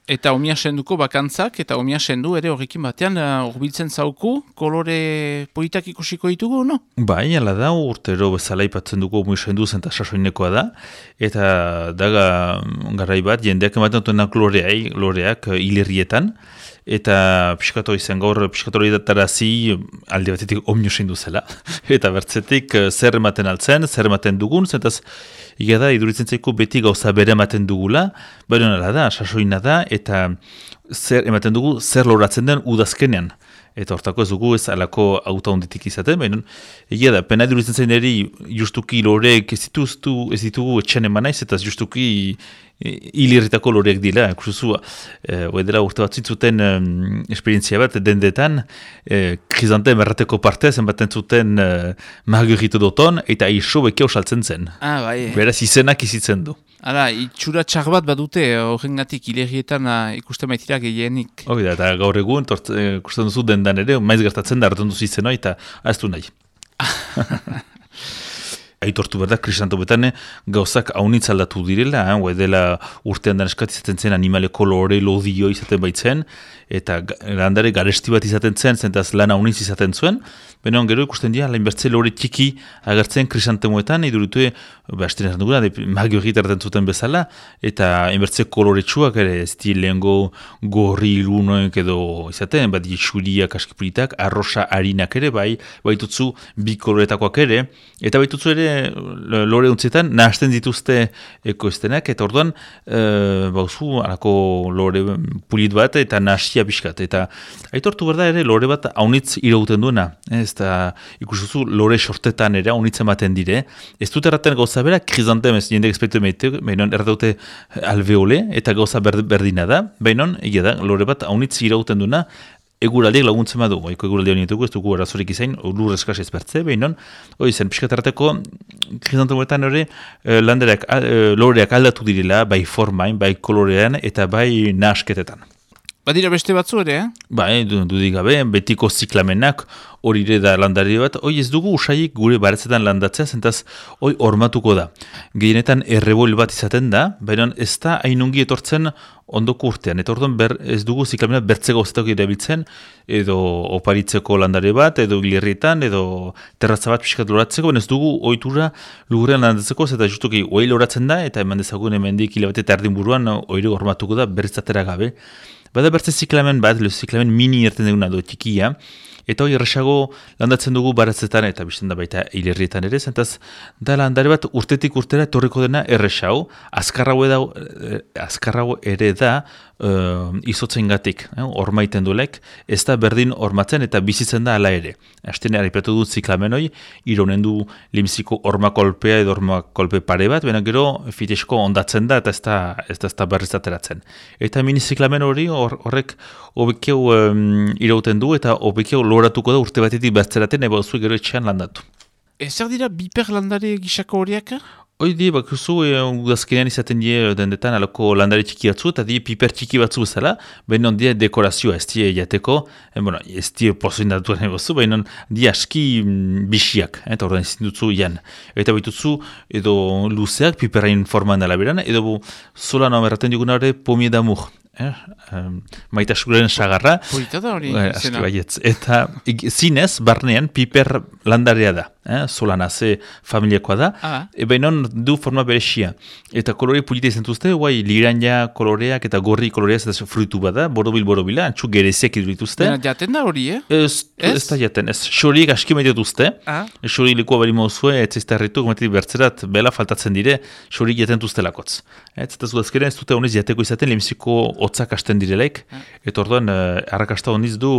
Eta omia senduko bakantzak, eta omia sendu ere horrekin batean urbiltzen zauku, kolore politak ikusiko ditugu, no? Bai, ala da, urtero bezala ipatzen dugu omia sendu zenta sasoinekoa da, eta daga garai bat, jendeak ematen dutenak loreak hilerrietan, eta piskato izan gaur, piskato hori datarazi alde batetik omio sendu zela, eta bertzetik zer ematen altzen, zer ematen dugun, zentaz, Iga da, iduritzen zaiko beti gauza bere ematen dugula, baina nala da, sasoina da, eta zer ematen dugu, zer loratzen den udazkenean. Eta hortako ez dugu ez alako auta honditik izaten, baina egia da, pena iduritzen zain eri justuki loreek ez ditugu etxan emanaiz, eta justuki hilirritako loreek dila, ikusuzu, edera urte bat zuten esperientzia bat, dendetan, krizantem errateko partez, enbaten zuten margurritu doton, eta iso bekeo saltzen zen. Bai. Beraz, izenak izitzen du. Hala, itxura txar bat badute, horrengatik hilerrietan ikusten baitira gehienik. Hoi da, eta gaur egun, ikusten duzu dendan ere, maiz gertatzen da, hartzen duzu izeno, eta ez du nahi. Aitortu berda, krisantobetan gauzak haunitz aldatu direla, dela urtean dan eskatizaten zen animaleko lore lodio izaten baitzen, eta landare garesti bat izaten zen, zentaz lan haunitz izaten zuen, baina gero ikusten dira, lainbertze lore txiki agertzen krisantemoetan, iduritu, hasten esan duguna, magiorik erraten zuten bezala, eta hainbertze koloretsuak ere, ez di lehengo gorri ilunoek edo izaten, bat xuriak askipulitak, arrosa harinak ere, baitutzu bi koloretakoak ere, eta baitutzu ere lore untzietan nahasten dituzte ekoiztenak, eta orduan bauzu alako lore pulit bat eta nahasia pixkat. Eta aitortu berda ere lore bat haunitz irauten duena. Ez da ikusuzu lore sortetan ere haunitz ematen dire. Ez dut erraten gauza bera, krizantem ez jendek espektu emaitek, baina erraute alveole eta gauza berdina da, baina egia da lore bat haunitz irauten duena, eguraldiak laguntzen badu, eguraldi hori ez dugu arazorik izain, lur eskaz ezbertze, behinon, hori zen, pixkatarteko, krisantometan hori, loreak aldatu direla, bai formain, bai kolorean, eta bai nahasketetan. Badira beste batzu ere, Bai, dudik gabe, betiko ziklamenak, hori ere da landari bat, hoi ez dugu usaik gure baretzetan landatzea, zentaz hoi hormatuko da. Gehienetan errebol bat izaten da, baina ez da hainungi etortzen ondoko urtean. Eta orduan ez dugu ziklamena bertze gauzetak erabiltzen, edo oparitzeko landare bat, edo gilirrietan, edo terratza bat pixkat loratzeko, baina ez dugu ohitura lugurrean landatzeko, eta justuki hoi loratzen da, eta eman dezagun hemendik hilabete eta erdin buruan hori hormatuko da bertzatera gabe. Bada bertze ziklamen bat, ziklamen mini erten duguna do txikia, eta hori erresago landatzen dugu baratzetan eta bizten da baita hilerrietan ere, zentaz da landare bat urtetik urtera etorriko dena erresau, azkarrago ere da izotzen gatik, ormaiten dulek, ez da berdin ormatzen eta bizitzen da ala ere. Azten haripatu dut ziklamen hori, ironen du limziko ormakolpea edo ormakolpe pare bat, baina gero fitesko ondatzen da eta ez da berriz ateratzen. Eta mini ziklamen hori horrek obekeu irauten du eta obekeu loratuko da urte batetik bertzeraten eba zuen gero etxean landatu. Zer dira biper landare gisako horiak? Hoi di, bakuzu, udazkenean izaten die dendetan alako landare txiki batzu, eta die piper txiki batzu bezala, baina die dekorazioa, ez die jateko, ez die pozoin datuaren bozu, baina die aski bixiak, eta ordean izin dutzu ian. Eta baitutzu, edo luzeak, piperrain forman alaberan, edo zola noa merraten diguna hori pomie damur. Maitasuren sagarra. Polita da hori. Eta zinez, barnean, piper landarea da. Solana, ze familiakoa da. Bainon du forma berexia. Eta kolore polita izan duzte, liranja koloreak eta gorri koloreak eta fruitu bada, borobila, antxu gereziak idulituzte. Baina jaten da hori, Ez da jaten, ez. Xoriek aski maite duzte. Xori likoa bari mauzue, ez izta herritu, gometik bertzerat, bela faltatzen dire, xoriek jaten duzte lakotz. Eta zudazkeren ez dute honez jateko izaten, lemiziko hotzak hasten direlaik, eta orduan arrakasta honiz du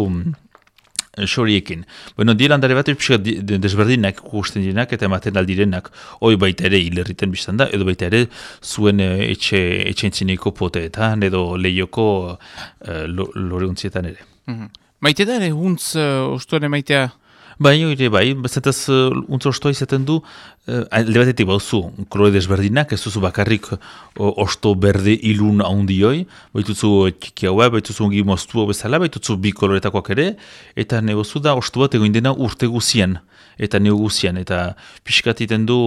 xoriekin. Bueno, die landare bat desberdinak ikusten direnak eta ematen aldirenak, hoi baita ere hilerriten biztan da, edo baita ere zuen etxentzineko poteetan, edo lehioko loreuntietan ere. Maite da ere huntz ostuan emaitea? Bai, bai, bezataz untz ostoa izaten du, alde batetik bauzu, kolore desberdinak, ez duzu bakarrik osto berde ilun handioi, baituzu txiki haua, baituzu ongi moztu bezala, baituzu bi koloretakoak ere, eta negozu da osto bat egoin dena urte guzian, eta negu guzian, eta pixkat iten du,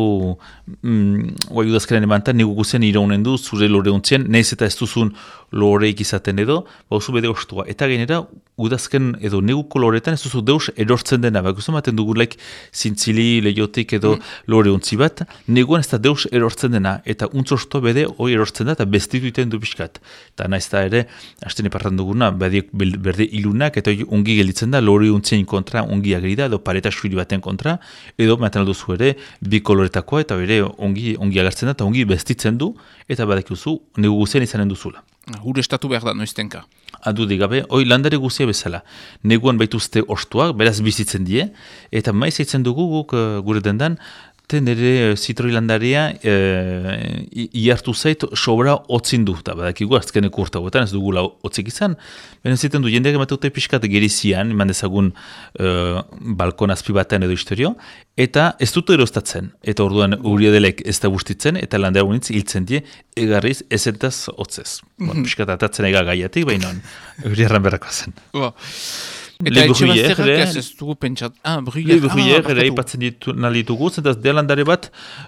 guai udazkaren emantan, negu guzian iraunen du, zure lore ontzien, nahiz eta ez duzun loreik izaten edo, bauzu bede ostua. Eta gainera, udazken edo negu koloretan ez duzu deus erortzen dena, bak maten dugulaik zintzili, lehiotik edo lore ontzi bat, neguan ez da deus erortzen dena, eta untzosto bede hoi erortzen da, eta bestitu iten du pixkat. Eta nahiz da ere, hasten epartan duguna, berde ilunak, eta ongi gelditzen da, lore ontzien kontra ongi ageri da, edo pareta suiri baten kontra, edo maten alduzu ere, bi koloretakoa, eta ere ongi agertzen da, eta ongi bestitzen du, eta badakiuzu, negu guzien izanen duzula. Gure estatu behar da, noiztenka. Adudik gabe, hoi landare guzia bezala. Neguan baituzte ostuak, beraz bizitzen die, eta maiz eitzen dugu guk gure dendan, nire zitroi landarea iartu zait sobra otzin du, eta badakigu azkeneko urtagoetan ez dugula otzik izan, baina ziten du jendeak emateute pixkat gerizian, eman dezagun balkon azpi batean edo historio, eta ez dut erostatzen, eta orduan uriadelek ez da bustitzen, eta landera unitz hiltzen die, egarriz ezentaz otzez. Pixkat atatzen ega gaiatik, baina uriarran berrako zen. Eta etxe bazterrak ez dugu pentsat. Bruyère ere ipatzen ditugu, zentaz dealandare bat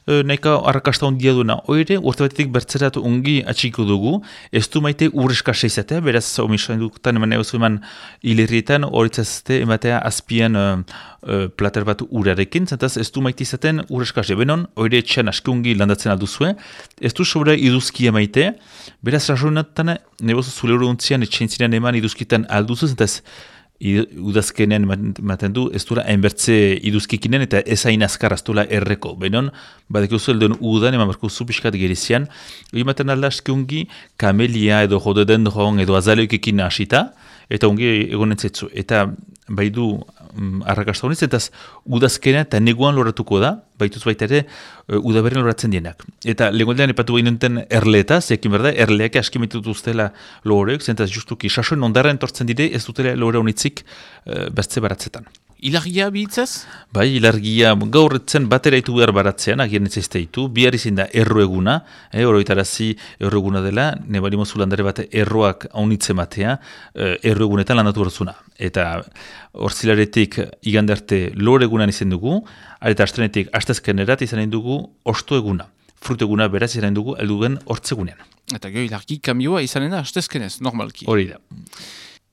nahika arrakasta ondia duena. Oire, urte batetik bertzerat ongi atxiko dugu, ez du maite urreskasa izatea, beraz omisoan dukutan eman egozu eman hilerrietan, horitzazte ematea azpian plater bat urarekin, zentaz ez du maite izaten urreskasa. Benon, oire etxean aski ongi landatzen alduzue, ez du sobra iduzkia maite, beraz razonetan, nebozu zule uruntzian etxein ziren eman iduzkitan alduzu, zentaz udazkenean ematen du, ez dura hainbertze iduzkikinen eta ez hain azkar aztula erreko. Benon, badekuzu elduen udan, eman barkuzu pixkat gerizian, ematen alda askeungi kamelia edo rododendron edo azaleoikekin hasita, eta ongi egonen zetzu. Eta baidu arrakasta honiz, eta udazkenean eta neguan loratuko da, baituz baita ere udaberren loratzen dienak. Eta legoldean epatu behin duten erleeta, zekin berda, erleak askimitut ustela loreok, zentaz justuki sasoen ondarren tortzen dire, ez dutela lore honitzik bertze baratzetan. Ilargia bihitzaz? Bai, ilargia gaurretzen batera itu behar baratzean, agian ez ditu, bihar izin da erro eguna, oroitarazi erro eguna dela, nebalimozu landare bat erroak haunitze matea, erro egunetan landatu berzuna. Eta orzilaretik igandarte lore egunan izan dugu, eta astrenetik astezkenerat izan dugu osto eguna. Fruto eguna beraz izan dugu eldugen hortzegunean. Eta gero ilargi kamioa izanen da astezkenez, normalki. Hori da.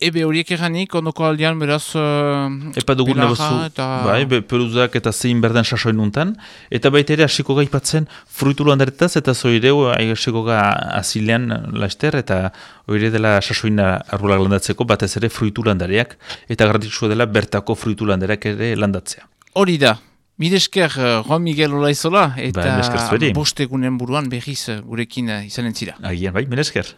Ebe horiek eranik, ondoko aldean beraz Epa dugun negozu, bai, peluzak eta zein berden sasoin nuntan, eta baita ere hasiko gaipatzen fruitu landaretaz, eta zoireu hasiko ga azilean laster, eta oire dela sasoina arrulak landatzeko, batez ere fruitu landareak, eta garrantzitsua dela bertako fruitu landareak ere landatzea. Hori da, miresker Juan Miguel Olaizola, eta bostegunen buruan berriz gurekin izanen zira. Agian bai, miresker.